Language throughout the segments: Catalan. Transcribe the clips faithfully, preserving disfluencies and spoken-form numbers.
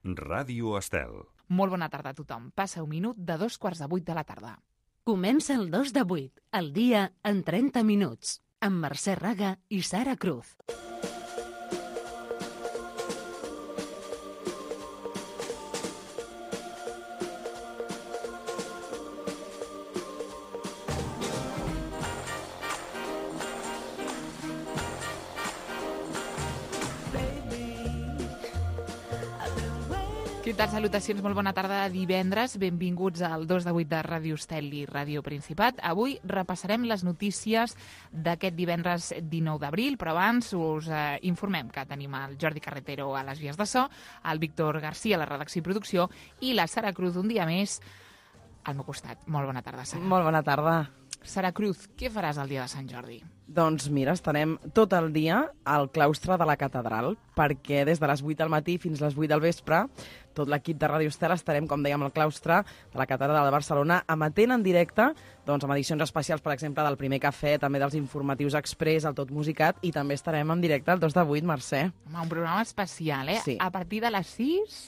Ràdio Estel. Molt bona tarda a tothom. Passa un minut de dos quarts de vuit de la tarda. Comença el dos de vuit, el dia en trenta minuts, amb Mercè Raga i Sara Cruz. Què tal? Salutacions, molt bona tarda de divendres. Benvinguts al dos de vuit de Ràdio Estel i Ràdio Principat. Avui repassarem les notícies d'aquest divendres dinou d'abril, però abans us eh, informem que tenim el Jordi Carretero a les vies de so, el Víctor García a la redacció i producció i la Sara Cruz un dia més al meu costat. Molt bona tarda, Sara. Molt bona tarda. Sara Cruz, què faràs el dia de Sant Jordi? Doncs mira, estarem tot el dia al claustre de la catedral, perquè des de les vuit del matí fins a les vuit del vespre, tot l'equip de Ràdio Estel estarem, com dèiem, al claustre de la catedral de Barcelona, emetent en directe, doncs, amb edicions especials, per exemple, del Primer Cafè, també dels informatius Express, el Tot Musicat, i també estarem en directe el dos de vuit, Mercè. Home, un programa especial, eh? Sí. A partir de les sis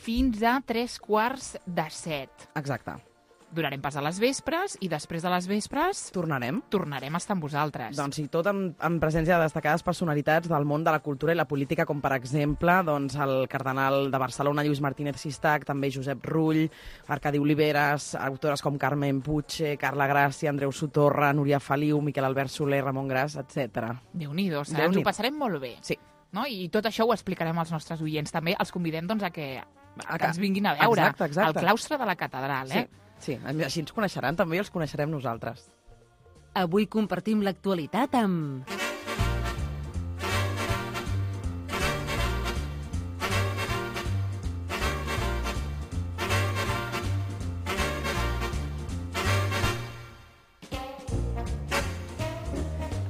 fins a tres quarts de set. Exacte. Durarem pas a les vespres i després de les vespres Tornarem. tornarem a estar amb vosaltres. Doncs sí, tot amb, amb presència de destacades personalitats del món de la cultura i la política, com per exemple doncs, el cardenal de Barcelona, Lluís Martínez Sistac, també Josep Rull, Arcadi Oliveres, autores com Carmen Puig, Carla Gràcia, Andreu Sotorra, Núria Feliu, Miquel Albert Soler, Ramon Gras, etcètera. Déu-n'hi-do, Sara, ens ho passarem molt bé. Sí. No? I tot això ho explicarem als nostres oients. També els convidem doncs, a que, a A que que- ens vinguin a veure Exacte, exacte. al claustre de la catedral. Eh? Sí, sí, així ens coneixeran també i els coneixerem nosaltres. Avui compartim l'actualitat amb...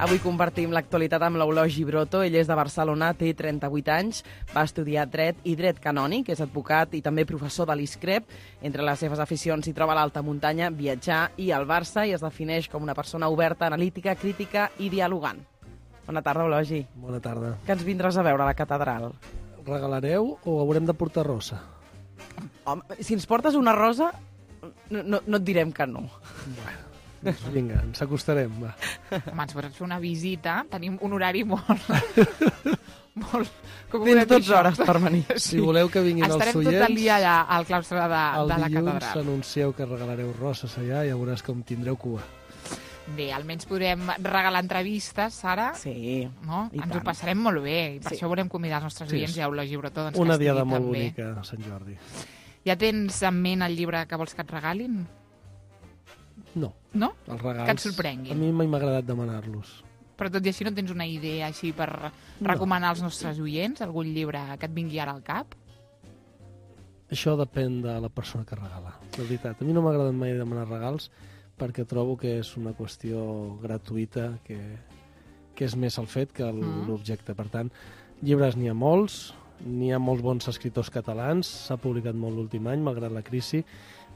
Avui compartim l'actualitat amb l'Eulogi Broto. Ell és de Barcelona, té trenta-vuit anys, va estudiar dret i dret canònic, és advocat i també professor de l'ISCREP. Entre les seves aficions s'hi troba l'alta muntanya, viatjar i el Barça, i es defineix com una persona oberta, analítica, crítica i dialogant. Bona tarda, Eulogi. Bona tarda. Què ens vindràs a veure a la catedral? Regalareu o haurem de portar rosa? Home, si ens portes una rosa, no, no, no et direm que no. Bueno, doncs vinga, ens acostarem, va. Home, ens pots fer una visita. Tenim un horari molt... molt... Com ho Tens podem dir, dotze això? hores per venir. Si voleu que vinguin els Estarem oients, tot el dia allà al claustre de, el de la dilluns catedral. anuncieu que regalareu roses allà i ja veuràs com tindreu cua. Bé, almenys podrem regalar entrevistes, Sara. Sí, No? i Ens tant. ho passarem molt bé i per Sí. això volem convidar els nostres Sí, oients sí. i a Eulogi Broto doncs, Una que diada estigui molt també. bonica, a Sant Jordi. Ja tens en ment el llibre que vols que et regalin? No, No? els regals... Que et sorprenguin. A mi mai m'ha agradat demanar-los. Però tot i així no tens una idea així per recomanar als nostres oients algun llibre que et vingui ara al cap? Això depèn de la persona que regala, de veritat. A mi no m'ha agradat mai demanar regals perquè trobo que és una qüestió gratuïta, que, que és més el fet que el- Mm. l'objecte. Per tant, llibres n'hi ha molts, n'hi ha molts bons escriptors catalans, s'ha publicat molt l'últim any, malgrat la crisi.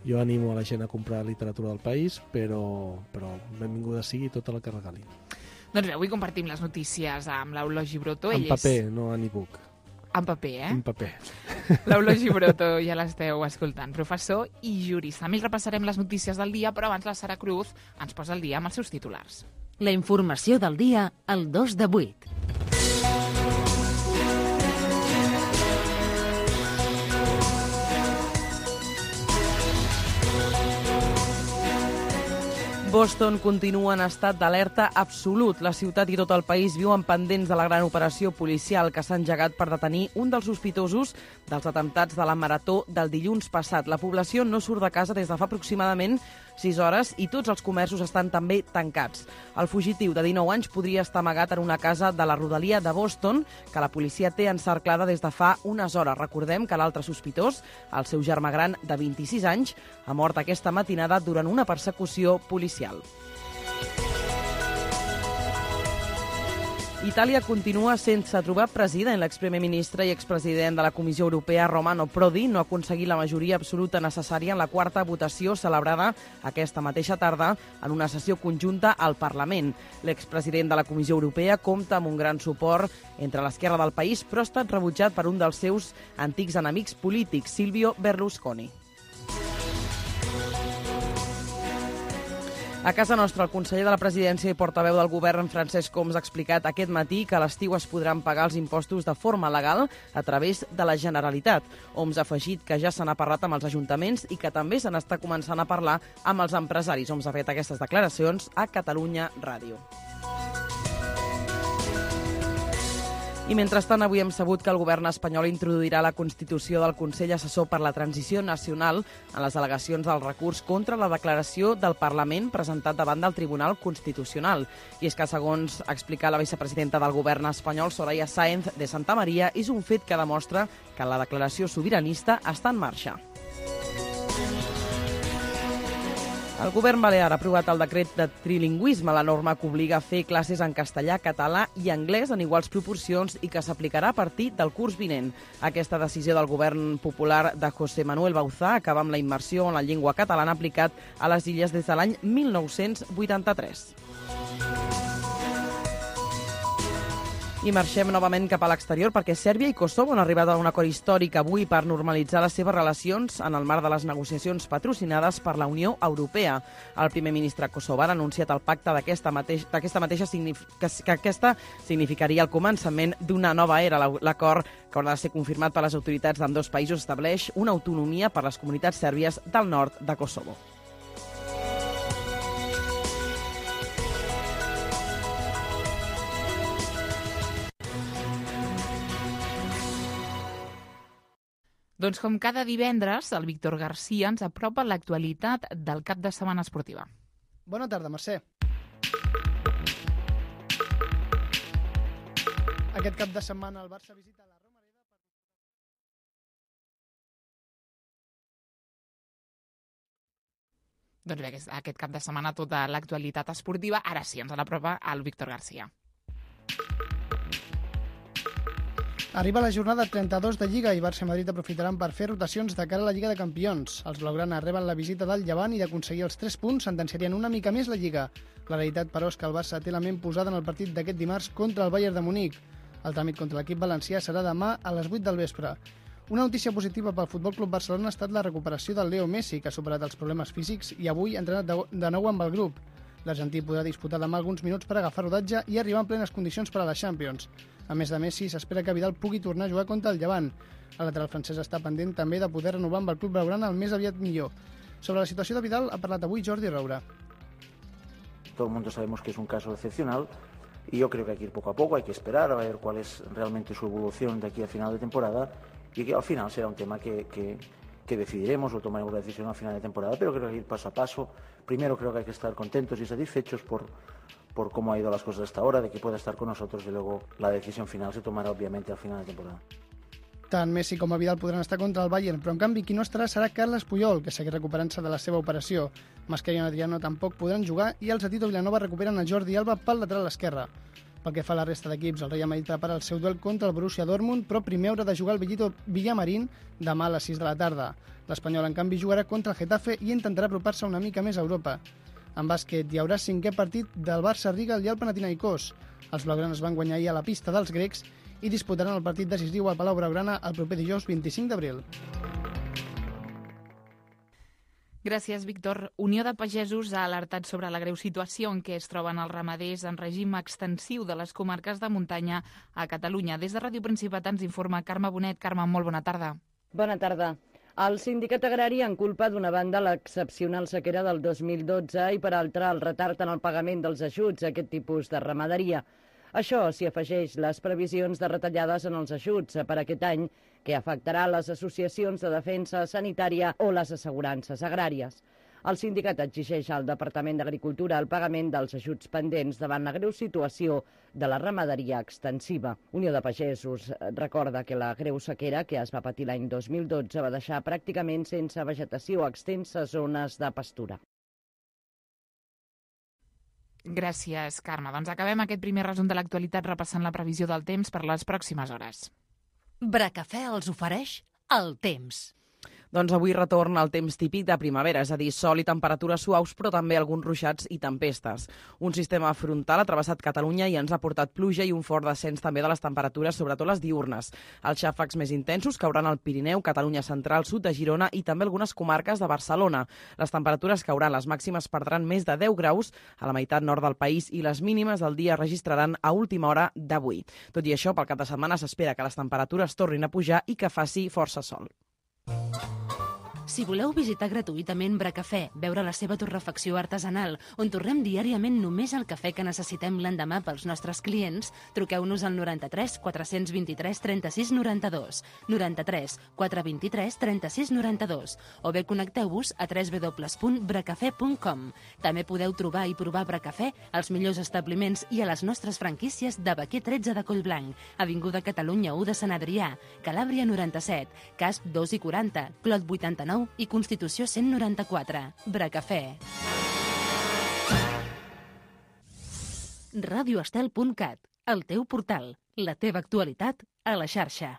Jo animo a la gent a comprar literatura del país, però, però benvinguda sigui tota la que regali. Doncs bé, avui compartim les notícies amb l'Eulogi Broto. En Ell paper, no en e-book. És... En paper, eh? En paper. L'Eulogi Broto, ja l'esteu escoltant, professor i jurista. A més, repassarem les notícies del dia, però abans la Sara Cruz ens posa el dia amb els seus titulars. La informació del dia al dos de vuit. Boston continua en estat d'alerta absolut. La ciutat i tot el país viuen pendents de la gran operació policial que s'ha engegat per detenir un dels sospitosos dels atemptats de la Marató del dilluns passat. La població no surt de casa des de fa aproximadament sis hores i tots els comerços estan també tancats. El fugitiu de dinou anys podria estar amagat en una casa de la rodalia de Boston que la policia té encerclada des de fa unes hores. Recordem que l'altre sospitós, el seu germà gran de vint-i-sis anys, ha mort aquesta matinada durant una persecució policial. Itàlia continua sense trobar president. L'exprimer ministre i expresident de la Comissió Europea, Romano Prodi, no ha aconseguit la majoria absoluta necessària en la quarta votació celebrada aquesta mateixa tarda en una sessió conjunta al Parlament. L'expresident de la Comissió Europea compta amb un gran suport entre l'esquerra del país, però ha estat rebutjat per un dels seus antics enemics polítics, Silvio Berlusconi. A casa nostra, el conseller de la Presidència i portaveu del govern, Francesc Homs, ha explicat aquest matí que a l'estiu es podran pagar els impostos de forma legal a través de la Generalitat. Homs ha afegit que ja se n'ha parlat amb els ajuntaments i que també se n'està començant a parlar amb els empresaris. Homs ha fet aquestes declaracions a Catalunya Ràdio. I mentrestant, avui hem sabut que el govern espanyol introduirà la constitució del Consell Assessor per la Transició Nacional en les al·legacions del recurs contra la declaració del Parlament presentat davant del Tribunal Constitucional. I és que, segons ha explicat la vicepresidenta del govern espanyol, Soraya Sáenz de Santamaría, és un fet que demostra que la declaració sobiranista està en marxa. El govern balear ha aprovat el decret de trilingüisme, la norma que obliga a fer classes en castellà, català i anglès en iguals proporcions i que s'aplicarà a partir del curs vinent. Aquesta decisió del govern popular de José Manuel Bauzá acaba amb la immersió en la llengua catalana aplicat a les illes des de l'any mil nou-cents vuitanta-tres. I marxem novament cap a l'exterior perquè Sèrbia i Kosovo han arribat a un acord històric avui per normalitzar les seves relacions en el marc de les negociacions patrocinades per la Unió Europea. El primer ministre kosovar ha anunciat el pacte d'aquesta mateix, d'aquesta mateixa que, que aquesta significaria el començament d'una nova era. L'acord, que haurà de ser confirmat per les autoritats d'ambdós països, estableix una autonomia per a les comunitats sèrbies del nord de Kosovo. Doncs com cada divendres, el Víctor García ens apropa l'actualitat del cap de setmana esportiva. Bona tarda, Mercè. Aquest cap de setmana el Barça visita la Romareda per... Doncs bé, aquest cap de setmana tota l'actualitat esportiva, ara sí, ens l'apropa el Víctor García. Arriba la jornada trenta-dos de Lliga i Barça i Madrid aprofitaran per fer rotacions de cara a la Lliga de Campions. Els blaugrana reben la visita del Llevant i d'aconseguir els tres punts sentenciarien una mica més la Lliga. La realitat, però, és que el Barça té la ment posada en el partit d'aquest dimarts contra el Bayern de Munic. El tràmit contra l'equip valencià serà demà a les vuit del vespre. Una notícia positiva pel Futbol Club Barcelona ha estat la recuperació del Leo Messi, que ha superat els problemes físics i avui ha entrenat de nou amb el grup. L'argentí podrà disputar demà alguns minuts per agafar rodatge i arribar en plenes condicions per a la Champions. A més de Messi, s'espera que Vidal pugui tornar a jugar contra el Llevant. El lateral francès està pendent també de poder renovar amb el club blaugrana el més aviat millor. Sobre la situació de Vidal ha parlat avui Jordi Roura. Todo el mundo sabemos que es un caso excepcional y yo creo que hay que ir poco a poco, hay que esperar a ver cuál es realmente su evolución de aquí a final de temporada y que al final será un tema que... que que decidiremos o tomaremos la decisión al final de temporada, pero creo que ir paso a paso. Primero creo que hay que estar contentos y satisfechos por, por cómo ha ido las cosas hasta ahora, de que pueda estar con nosotros y luego la decisión final se tomará obviamente al final de temporada. Tant Messi com a Vidal podran estar contra el Bayern, però en canvi qui no estarà serà Carles Puyol, que segueix recuperant-se de la seva operació. Mascherano i Adriano tampoc podran jugar i els de Tito Vilanova recuperen a Jordi Alba pel lateral esquerre. Pel que fa a la resta d'equips, el Real Madrid prepara el seu duel contra el Borussia Dortmund, però primer haurà de jugar el Villito Villamarín demà a les sis de la tarda. L'Espanyol, en canvi, jugarà contra el Getafe i intentarà apropar-se una mica més a Europa. En bàsquet, hi haurà cinquè partit del Barça-Riga i el Panathinaikos. Els blaugranes van guanyar ahir a la pista dels grecs i disputaran el partit decisiu al Palau Blaugrana el proper dijous vint-i-cinc d'abril. Gràcies, Víctor. Unió de Pagesos ha alertat sobre la greu situació en què es troben els ramaders en règim extensiu de les comarques de muntanya a Catalunya. Des de Ràdio Principat ens informa Carme Bonet. Carme, molt bona tarda. Bona tarda. El sindicat agrari en culpa d'una banda l'excepcional sequera del dos mil dotze i per altra el retard en el pagament dels ajuts a aquest tipus de ramaderia. Això s'hi afegeix les previsions de retallades en els ajuts per aquest any que afectarà les associacions de defensa sanitària o les assegurances agràries. El sindicat exigeix al Departament d'Agricultura el pagament dels ajuts pendents davant la greu situació de la ramaderia extensiva. Unió de Pagesos recorda que la greu sequera que es va patir l'any dos mil dotze va deixar pràcticament sense vegetació extenses zones de pastura. Gràcies, Carme. Doncs acabem aquest primer resum de l'actualitat repassant la previsió del temps per les pròximes hores. Bracafè els ofereix el temps. Doncs avui retorna el temps típic de primavera, és a dir, sol i temperatures suaus, però també alguns ruixats i tempestes. Un sistema frontal ha travessat Catalunya i ens ha portat pluja i un fort descens també de les temperatures, sobretot les diürnes. Els xàfecs més intensos cauran al Pirineu, Catalunya central, sud de Girona i també algunes comarques de Barcelona. Les temperatures cauran, les màximes perdran més de deu graus a la meitat nord del país i les mínimes del dia registraran a última hora d'avui. Tot i això, pel cap de setmana s'espera que les temperatures tornin a pujar i que faci força sol. Si voleu visitar gratuïtament Bracafè, veure la seva torrefacció artesanal, on torrem diàriament només el cafè que necessitem l'endemà pels nostres clients, truqueu-nos al noranta-tres quatre-cents vint-i-tres trenta-sis noranta-dos, noranta-tres quatre vint-i-tres trenta-sis noranta-dos, o bé connecteu-vos a w w w punt bracafè punt com. També podeu trobar i provar Bracafè als millors establiments i a les nostres franquícies de Baquer tretze de Collblanc, Avinguda Catalunya u de Sant Adrià, Calàbria noranta-set, Casp dos i quaranta, Clot vuitanta-nou i Constitució cent noranta-quatre. Bracafè. radioestel punt cat, el teu portal, la teva actualitat a la xarxa.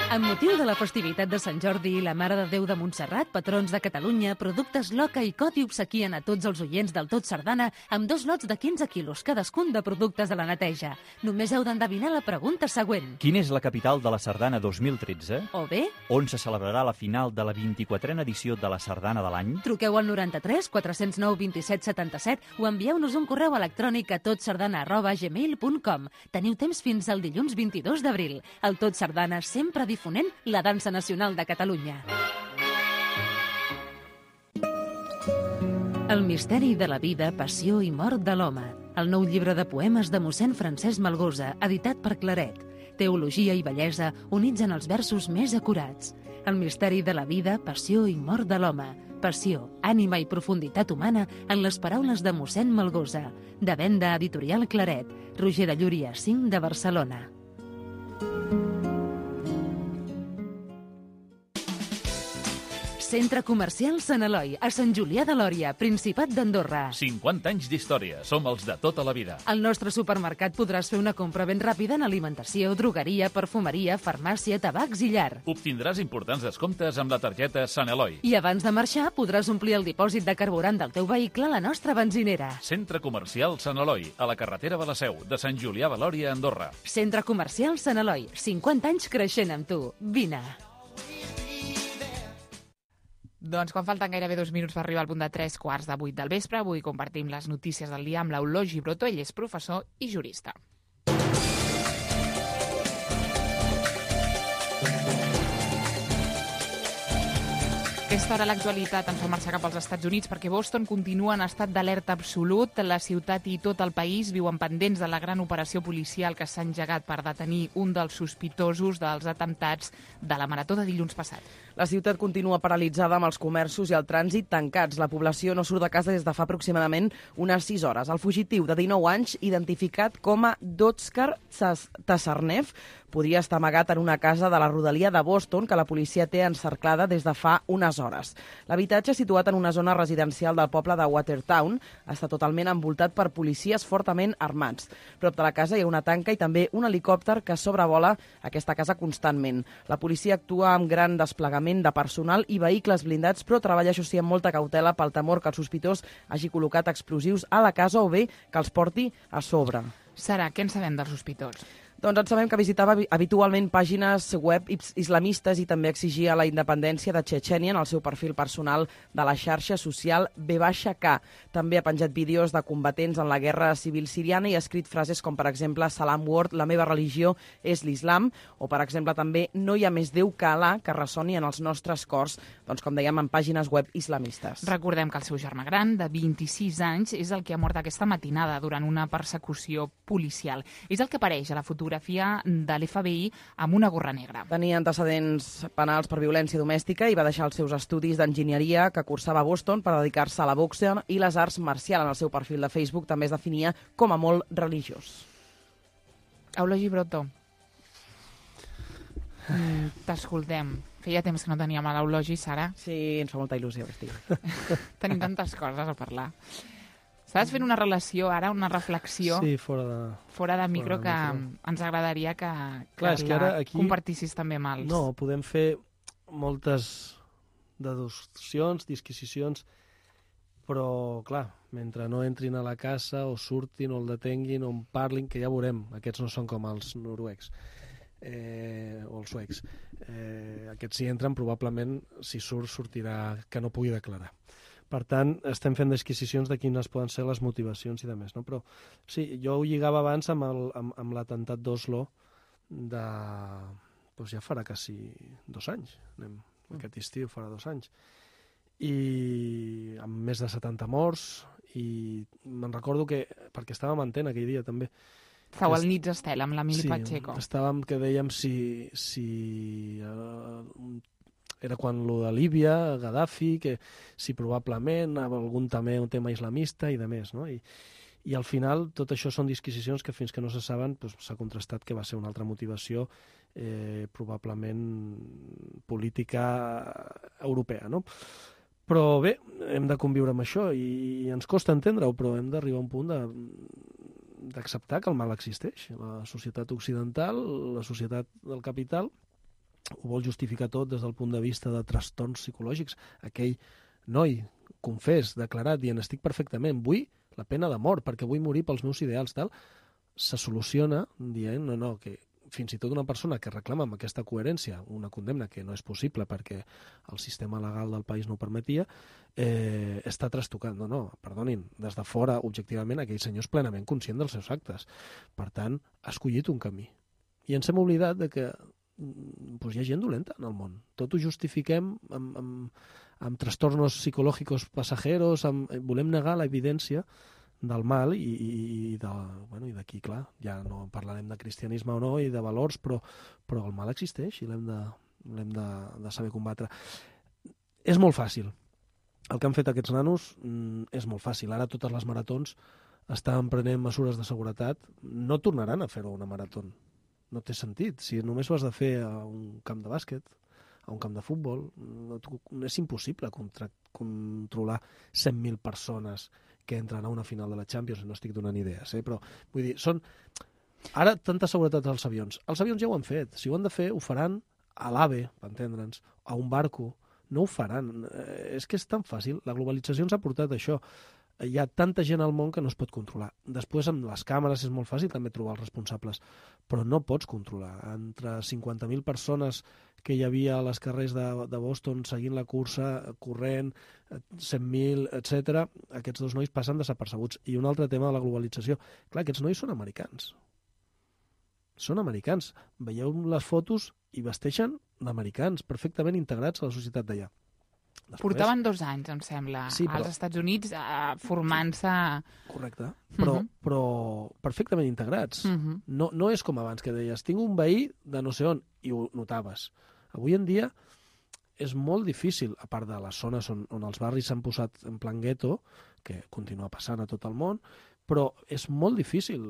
Amb motiu de la festivitat de Sant Jordi i la Mare de Déu de Montserrat, patrons de Catalunya, Productes Loca i Coti obsequien a tots els oients del Tot Sardana amb dos lots de quinze quilos cadascun de productes de la neteja. Només heu d'endevinar la pregunta següent. Quina és la capital de la Sardana dos mil tretze? O bé, On se celebrarà la final de la vint-i-quatrena edició de la Sardana de l'any? truqueu al noranta-tres quatre-cents nou vint-i-set setanta-set o envieu-nos un correu electrònic a totsardana arroba gmail punt com. Teniu temps fins al dilluns vint-i-dos d'abril. El Tot Sardana sempre difonent la dansa nacional de Catalunya. El misteri de la vida, passió i mort de l'home. El nou llibre de poemes de mossèn Francesc Malgosa, editat per Claret. Teologia i bellesa units en els versos més acurats. El misteri de la vida, passió i mort de l'home. Passió, ànima i profunditat humana en les paraules de mossèn Malgosa. De venda editorial Claret. Roger de Llúria, cinc de Barcelona. Centre Comercial Sant Eloi, a Sant Julià de Lòria, Principat d'Andorra. cinquanta anys d'història. Som els de tota la vida. Al nostre supermercat podràs fer una compra ben ràpida en alimentació, drogueria, perfumeria, farmàcia, tabacs i llar. Obtindràs importants descomptes amb la targeta Sant Eloi. I abans de marxar podràs omplir el dipòsit de carburant del teu vehicle a la nostra benzinera. Centre Comercial Sant Eloi, a la carretera de la Seu, de Sant Julià de Lòria, Andorra. Centre Comercial Sant Eloi, cinquanta anys creixent amb tu. Vine. Doncs quan falten gairebé dos minuts per arribar al punt de tres quarts de vuit del vespre, avui compartim les notícies del dia amb l'Eulogi Broto. Ell és professor i jurista. Aquesta hora l'actualitat ens fa marxar cap als Estats Units perquè Boston continua en estat d'alerta absolut. La ciutat i tot el país viuen pendents de la gran operació policial que s'ha engegat per detenir un dels sospitosos dels atemptats de la marató de dilluns passat. La ciutat continua paralitzada amb els comerços i el trànsit tancats. La població no surt de casa des de fa aproximadament unes sis hores. El fugitiu de dinou anys, identificat com a Dotskar Tasarnev, podria estar amagat en una casa de la rodalia de Boston que la policia té encerclada des de fa unes hores. L'habitatge, situat en una zona residencial del poble de Watertown, està totalment envoltat per policies fortament armats. Prop de la casa hi ha una tanca i també un helicòpter que sobrevola aquesta casa constantment. La policia actua amb gran desplegament de personal i vehicles blindats, però treballa, això sí, amb molta cautela pel temor que el sospitós hagi col·locat explosius a la casa o bé que els porti a sobre. Sara, què en sabem dels sospitós? Doncs en sabem que visitava habitualment pàgines web islamistes i també exigia la independència de Txetxènia en el seu perfil personal de la xarxa social B K. També ha penjat vídeos de combatents en la guerra civil siriana i ha escrit frases com, per exemple, Salam Word, la meva religió és l'islam, o, per exemple, també no hi ha més Déu que Alà, que ressoni en els nostres cors, doncs, com dèiem, en pàgines web islamistes. Recordem que el seu germà gran, de vint-i-sis anys, és el que ha mort aquesta matinada durant una persecució policial. És el que apareix a la fotografia de l'F B I amb una gorra negra. Tenia antecedents penals per violència domèstica i va deixar els seus estudis d'enginyeria que cursava a Boston per dedicar-se a la boxa i les arts marcials. En el seu perfil de Facebook també es definia com a molt religiós. Eulogi Broto, mm, t'escoltem. Feia temps que no teníem a l'Eulogi, Sara. Sí, ens fa molta il·lusió que estigui. Tenim tantes coses a parlar. Estàs fent una relació ara, una reflexió Sí, fora de... fora de micro fora de que micro. ens agradaria que, Clar, és que que ara la aquí- compartissis també amb els... No, podem fer moltes deduccions, disquisicions, però, clar, mentre no entrin a la casa o surtin o el detenguin o en parlin, que ja veurem, aquests no són com els noruecs eh, o els suecs. Eh, aquests si entren, probablement, si surt, sortirà que no pugui declarar. Per tant, estem fent disquisicions de quines poden ser les motivacions i de més, no? Però sí, jo ho lligava abans amb, el, amb, amb l'atemptat d'Oslo de... Doncs ja farà quasi dos anys. Anem, aquest estiu farà dos anys. I amb més de setanta morts, i me'n recordo que, perquè estàvem en Antena aquell dia també. Estàu al Nits Estel, amb l'Emili Sí, Pacheco. estàvem que dèiem si... si eh, era quan lo de Líbia, Gaddafi, que si probablement algun també un tema islamista i de més, no? I, i al final tot això són disquisicions que fins que no se saben doncs, s'ha contrastat que va ser una altra motivació eh, probablement política europea, no? Però bé, hem de conviure amb això i, i ens costa entendre-ho, però hem d'arribar a un punt de, d'acceptar que el mal existeix. La societat occidental, la societat del capital, ho vol justificar tot des del punt de vista de trastorns psicològics. Aquell noi, confés, declarat, dient estic perfectament, vull la pena de mort perquè vull morir pels meus ideals, tal, se soluciona dient no, no, que fins i tot una persona que reclama amb aquesta coherència una condemna que no és possible perquè el sistema legal del país no ho permetia, eh, està trastocant. No, no, perdonin, des de fora, objectivament, aquell senyor és plenament conscient dels seus actes. Per tant, ha escollit un camí. I ens hem oblidat de que pues hi ha gent dolenta en el món. Tot ho justifiquem amb, amb, amb trastornos psicològics passajeros, amb, volem negar l'evidència del mal i, i, i de, bueno, i d'aquí, clar, ja no parlarem de cristianisme o no i de valors, però, però el mal existeix i l'hem de, l'hem de, de saber combatre. És molt fàcil. El que han fet aquests nanos mm, és molt fàcil. Ara totes les maratons estan prenent mesures de seguretat. No tornaran a fer-ho una marató. No té sentit. Si només ho has de fer a un camp de bàsquet, a un camp de futbol, no, és impossible contra, controlar cent mil persones que entren a una final de la Champions, no estic donant idees, eh? Però vull dir, són... Ara, tanta seguretat als avions. Els avions ja ho han fet. Si ho han de fer, ho faran a l'AVE, per entendre'ns, a un barco. No ho faran. Eh, és que és tan fàcil. La globalització ens ha portat això. Hi ha tanta gent al món que no es pot controlar. Després, amb les càmeres és molt fàcil també trobar els responsables, però no pots controlar. Entre cinquanta mil persones que hi havia a les carrers de, de Boston seguint la cursa, corrent, cent mil, etcètera, aquests dos nois passen desapercebuts. I un altre tema de la globalització. Clar, aquests nois són americans. Són americans. Veieu les fotos i vesteixen d'americans, perfectament integrats a la societat d'allà. Després... Portaven dos anys, em sembla, sí, però... als Estats Units eh, formant-se... Correcte, però, uh -huh. però perfectament integrats. Uh -huh. no, no és com abans, que deies, tinc un veí de no sé on, i ho notaves. Avui en dia és molt difícil, a part de les zones on, on els barris s'han posat en plan gueto, que continua passant a tot el món, però és molt difícil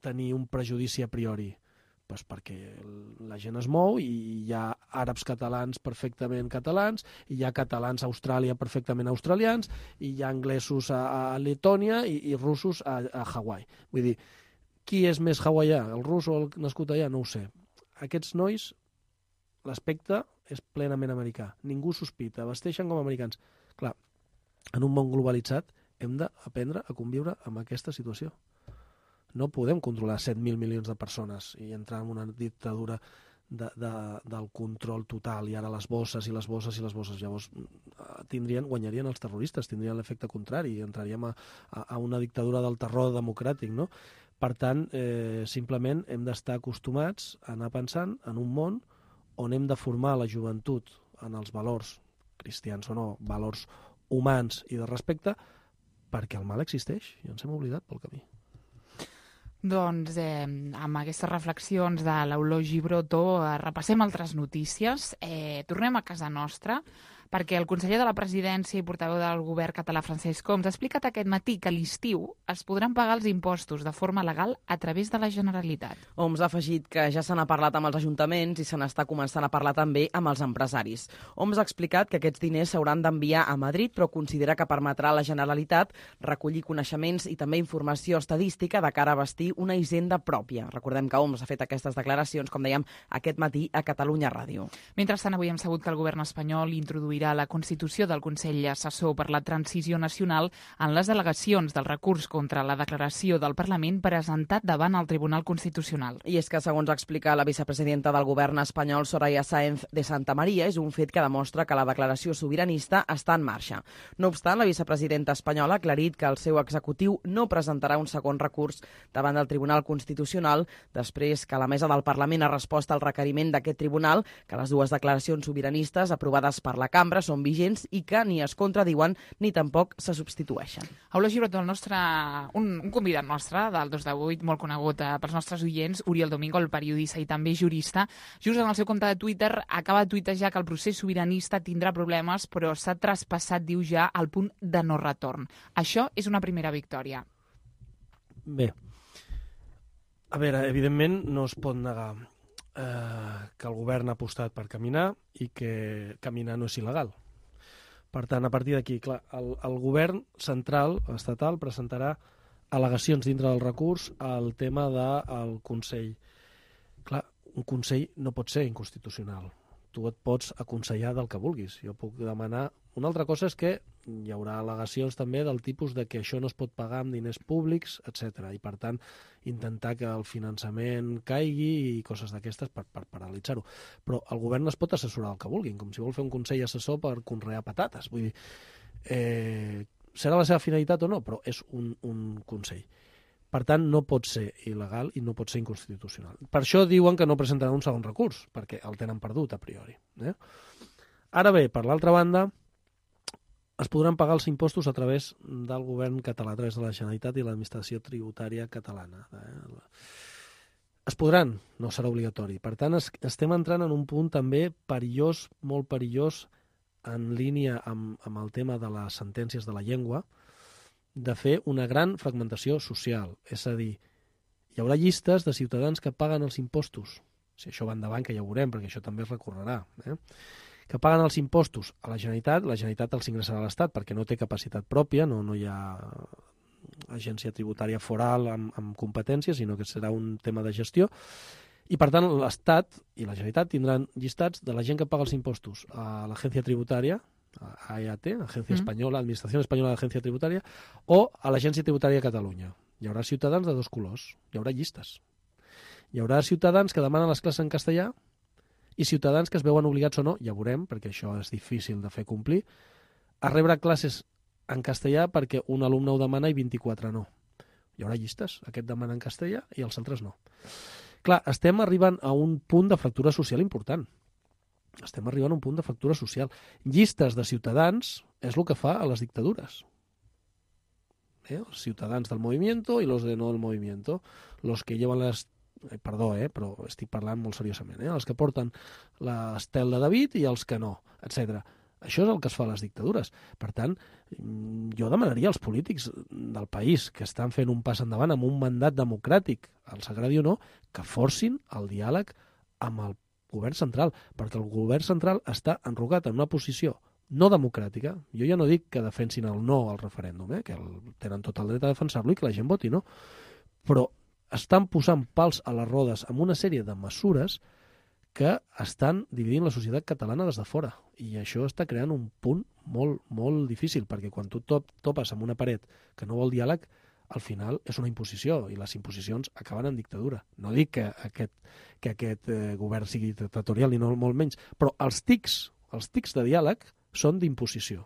tenir un prejudici a priori. Pues perquè la gent es mou i hi ha àrabs catalans perfectament catalans, i hi ha catalans a Austràlia perfectament australians, i hi ha anglesos a, a Letònia i, i russos a, a Hawaii. Vull dir, qui és més hawaià, el rus o el nascut allà? No ho sé. Aquests nois, l'aspecte és plenament americà. Ningú sospita, vesteixen com americans. Clar, en un món globalitzat hem d'aprendre a conviure amb aquesta situació. No podem controlar set mil milions de persones i entrar en una dictadura de, de, del control total, i ara les bosses i les bosses i les bosses. Llavors tindrien, guanyarien els terroristes, tindrien l'efecte contrari i entraríem a, a, a una dictadura del terror democràtic, no? Per tant, eh, simplement hem d'estar acostumats a anar pensant en un món on hem de formar la joventut en els valors, cristians o no, valors humans i de respecte, perquè el mal existeix i ens hem oblidat pel camí. Doncs eh, amb aquestes reflexions de l'Eulogi Broto eh, repassem altres notícies. Eh, tornem a casa nostra perquè el conseller de la Presidència i portaveu del govern català Francesc Homs ha explicat aquest matí que a l'estiu es podran pagar els impostos de forma legal a través de la Generalitat. Homs ha afegit que ja se n'ha parlat amb els ajuntaments i se n'està començant a parlar també amb els empresaris. Homs ha explicat que aquests diners s'hauran d'enviar a Madrid, però considera que permetrà a la Generalitat recollir coneixements i també informació estadística de cara a bastir una hisenda pròpia. Recordem que Homs ha fet aquestes declaracions, com dèiem, aquest matí a Catalunya Ràdio. Mentrestant, avui hem sabut que el govern espanyol introduirà la constitució del Consell Assessor per la Transició Nacional en les al·legacions del recurs contra la declaració del Parlament presentat davant el Tribunal Constitucional. I és que, segons explica la vicepresidenta del govern espanyol, Soraya Sáenz de Santa María, és un fet que demostra que la declaració sobiranista està en marxa. No obstant, la vicepresidenta espanyola ha aclarit que el seu executiu no presentarà un segon recurs davant del Tribunal Constitucional després que la mesa del Parlament ha respost al requeriment d'aquest tribunal que les dues declaracions sobiranistes aprovades per la cambra són vigents i que ni es contradiuen ni tampoc se substitueixen. Aula Girot, el nostre, un, un convidat nostre del dos de vuit, molt conegut eh, pels nostres oients, Oriol Domingo, el periodista i també jurista, just en el seu compte de Twitter acaba de tuitejar que el procés sobiranista tindrà problemes, però s'ha traspassat, diu ja, al punt de no retorn. Això és una primera victòria. Bé, a veure, evidentment no es pot negar eh, que el govern ha apostat per caminar i que caminar no és il·legal. Per tant, a partir d'aquí, clar, el, el govern central, estatal, presentarà al·legacions dintre del recurs al tema del Consell. Clar, un Consell no pot ser inconstitucional. Tu et pots aconsellar del que vulguis. Jo puc demanar... Una altra cosa és que hi haurà al·legacions també del tipus de que això no es pot pagar amb diners públics, etcètera. I, per tant, intentar que el finançament caigui i coses d'aquestes per, per paralitzar-ho. Però el govern es pot assessorar el que vulguin, com si vol fer un consell assessor per conrear patates. Vull dir, eh, serà la seva finalitat o no, però és un, un consell. Per tant, no pot ser il·legal i no pot ser inconstitucional. Per això diuen que no presentaran un segon recurs, perquè el tenen perdut a priori. Eh? Ara bé, per l'altra banda, es podran pagar els impostos a través del govern català, a través de la Generalitat i l'administració tributària catalana. Eh? Es podran, no serà obligatori. Per tant, es, estem entrant en un punt també perillós, molt perillós, en línia amb, amb el tema de les sentències de la llengua, de fer una gran fragmentació social. És a dir, hi haurà llistes de ciutadans que paguen els impostos. Si això va endavant, que ja ho veurem, perquè això també es recorrerà. Eh? Que paguen els impostos a la Generalitat, la Generalitat els ingressarà a l'Estat perquè no té capacitat pròpia, no, no hi ha agència tributària foral amb, amb competències, sinó que serà un tema de gestió. I, per tant, l'Estat i la Generalitat tindran llistats de la gent que paga els impostos a l'agència tributària, a E A T, Agència mm. Espanyola, Administració Espanyola d'Agència Tributària, o a l'Agència Tributària de Catalunya. Hi haurà ciutadans de dos colors, hi haurà llistes. Hi haurà ciutadans que demanen les classes en castellà i ciutadans que es veuen obligats o no, ja veurem, perquè això és difícil de fer complir, a rebre classes en castellà perquè un alumne ho demana i vint-i-quatre no. Hi haurà llistes, aquest demana en castellà i els altres no. Clar, estem arribant a un punt de fractura social important. Estem arribant a un punt de fractura social. Llistes de ciutadans és el que fa a les dictadures. Eh? Els ciutadans del movimiento i los de no del movimiento. Los que llevan les... Eh, perdó, eh, però estic parlant molt seriosament. Eh? Els que porten l'estel de David i els que no, etcètera. Això és el que es fa a les dictadures. Per tant, jo demanaria als polítics del país que estan fent un pas endavant amb un mandat democràtic, els agradi o no, que forcin el diàleg amb el govern central, perquè el govern central està enrogat en una posició no democràtica. Jo ja no dic que defensin el no al referèndum, eh? Que el, tenen tot el dret a defensar-lo i que la gent voti no, però estan posant pals a les rodes amb una sèrie de mesures que estan dividint la societat catalana des de fora. I això està creant un punt molt, molt difícil, perquè quan tu top, topes amb una paret que no vol diàleg, al final és una imposició, i les imposicions acaben en dictadura. No dic que aquest, que aquest eh, govern sigui dictatorial, ni no molt menys, però els tics, els tics de diàleg són d'imposició.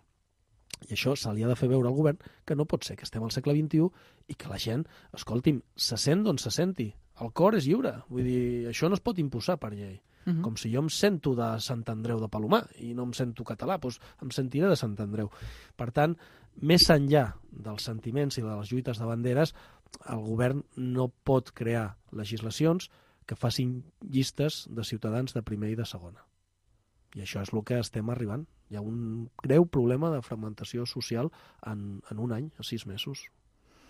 I això se li ha de fer veure al govern que no pot ser que estem al segle vint-i-u i que la gent, escolti'm, se sent d'on se senti. El cor és lliure. Vull dir, això no es pot imposar per llei. Uh-huh. Com si jo em sento de Sant Andreu de Palomar i no em sento català, doncs em sentiré de Sant Andreu. Per tant, més enllà dels sentiments i de les lluites de banderes, el govern no pot crear legislacions que facin llistes de ciutadans de primer i de segona. I això és el que estem arribant. Hi ha un greu problema de fragmentació social en, en un any, a sis mesos,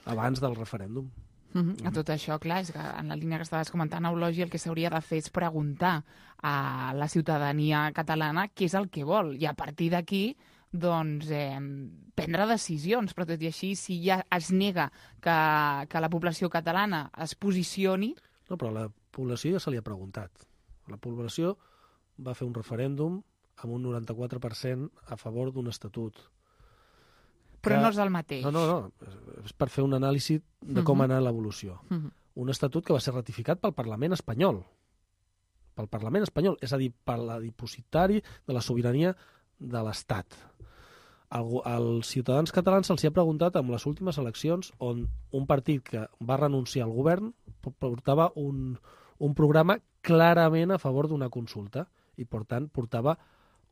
abans del referèndum. Mm-hmm. A tot això, clar, és que en la línia que estaves comentant, Eulogi, el que s'hauria de fer és preguntar a la ciutadania catalana què és el que vol, i a partir d'aquí doncs, eh, prendre decisions, però tot i així, si ja es nega que, que la població catalana es posicioni... No, però la població ja se li ha preguntat. La població va fer un referèndum amb un noranta-quatre per cent a favor d'un estatut. Però que... no és el mateix. No, no, no. És per fer un anàlisi de com uh-huh. ha anat l'evolució. Uh-huh. Un estatut que va ser ratificat pel Parlament espanyol. Pel Parlament espanyol, és a dir, per la dipositari de la sobirania de l'Estat. Als ciutadans catalans se'ls ha preguntat en les últimes eleccions on un partit que va renunciar al govern portava un, un programa clarament a favor d'una consulta i, per tant, portava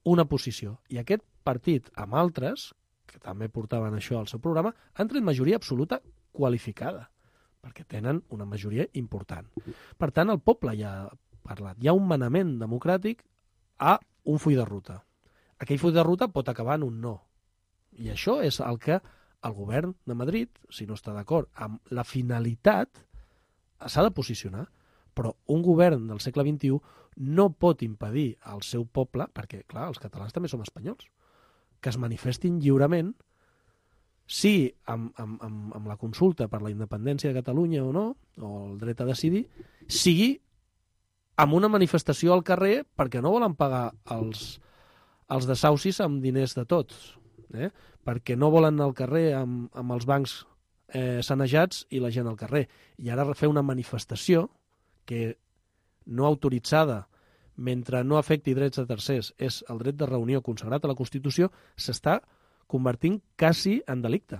una posició. I aquest partit, amb altres, que també portaven això al seu programa, han tret majoria absoluta qualificada, perquè tenen una majoria important. Per tant, el poble ja ha parlat. Hi ha un manament democràtic a un full de ruta. Aquell full de ruta pot acabar en un no. I això és el que el govern de Madrid, si no està d'acord amb la finalitat, s'ha de posicionar. Però un govern del segle vint-i-u no pot impedir al seu poble, perquè, clar, els catalans també som espanyols, que es manifestin lliurement, sí, amb, amb, amb, amb la consulta per la independència de Catalunya o no, o el dret a decidir, sigui amb una manifestació al carrer perquè no volen pagar els, els desaucis amb diners de tots, eh? Perquè no volen anar al carrer amb, amb els bancs eh, sanejats i la gent al carrer. I ara fer una manifestació que no autoritzada, mentre no afecti drets de tercers, és el dret de reunió consagrat a la Constitució, s'està convertint quasi en delicte.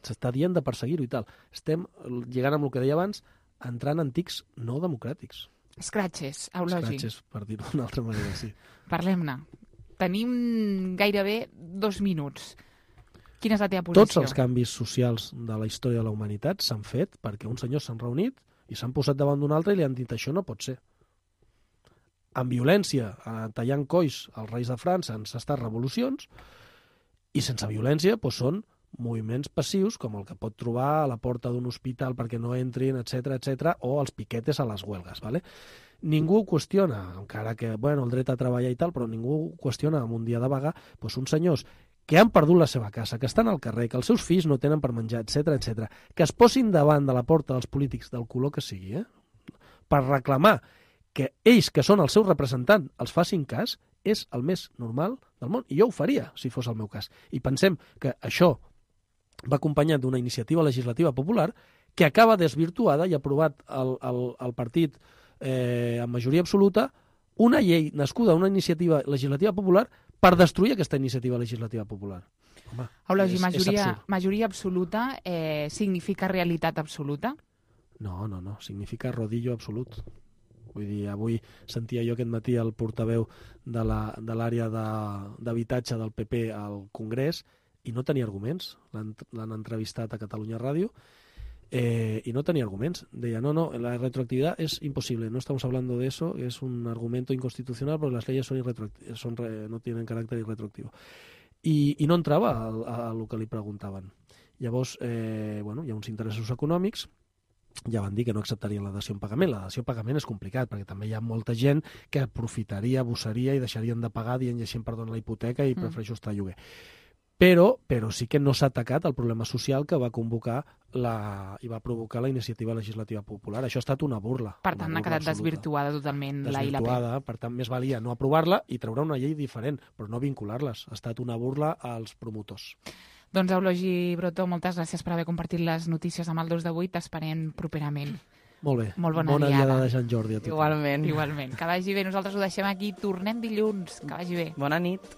S'està dient de perseguir-ho i tal. Estem, llegant amb el que deia abans, entrant en tics no democràtics. Escratxes, Eulogi. Escratxes, per dir-ho d'una altra manera, sí. Parlem-ne. Tenim gairebé dos minuts. Quina és la teva posició? Tots els canvis socials de la història de la humanitat s'han fet perquè uns senyors s'han reunit i s'han posat davant d'un altre i li han dit això no pot ser. Amb violència, tallant colls als reis de França, han estat revolucions, i sense violència doncs, són moviments passius, com el que pot trobar a la porta d'un hospital perquè no entrin, etcètera, etcètera, o els piquetes a les huelgues. ¿vale? Ningú qüestiona, encara que bueno, el dret a treballar i tal, però ningú qüestiona en un dia de vaga doncs, uns senyors que han perdut la seva casa, que estan al carrer, que els seus fills no tenen per menjar, etcètera, etcètera, que es posin davant de la porta dels polítics del color que sigui, eh? per reclamar que ells, que són el seu representant, els facin cas, és el més normal del món. I jo ho faria, si fos el meu cas. I pensem que això va acompanyat d'una iniciativa legislativa popular que acaba desvirtuada i aprovat el, el, el partit eh, amb majoria absoluta una llei nascuda, una iniciativa legislativa popular per destruir aquesta iniciativa legislativa popular. Home, Eulogi, és, majoria, és majoria absoluta eh, significa realitat absoluta? No, no, no, significa rodillo absolut. Vull dir, avui sentia jo aquest matí el portaveu de l'àrea de d'habitatge del P P al Congrés i no tenia arguments. L'han entrevistat a Catalunya Ràdio eh, i no tenia arguments. Deia, no, no, la retroactividad es imposible, no estamos hablando de eso, es un argumento inconstitucional porque las leyes son son re no tienen carácter irretroactivo. I, i no entrava a, a lo que li preguntaven. Llavors, eh, bueno, hi ha uns interessos econòmics. Ja van dir que no acceptarien la dació en pagament. La dació en pagament és complicat, perquè també hi ha molta gent que aprofitaria, abussaria i deixarien de pagar dient i així em perdona la hipoteca i mm. prefereixo estar a lloguer. Però, però sí que no s'ha atacat el problema social que va convocar la, i va provocar la iniciativa legislativa popular. Això ha estat una burla. Per tant, ha quedat absoluta. desvirtuada totalment la I L P. Desvirtuada, per tant, més valia no aprovar-la i treure una llei diferent, però no vincular-les. Ha estat una burla als promotors. Doncs, Eulogi Brotó, moltes gràcies per haver compartit les notícies amb el dos de vuit. T'esperem properament. Molt bé. Molt bona, bona diada. diada de Sant Jordi a tothom. Igualment. Igualment. Que vagi bé. Nosaltres ho deixem aquí. Tornem dilluns. Que vagi bé. Bona nit.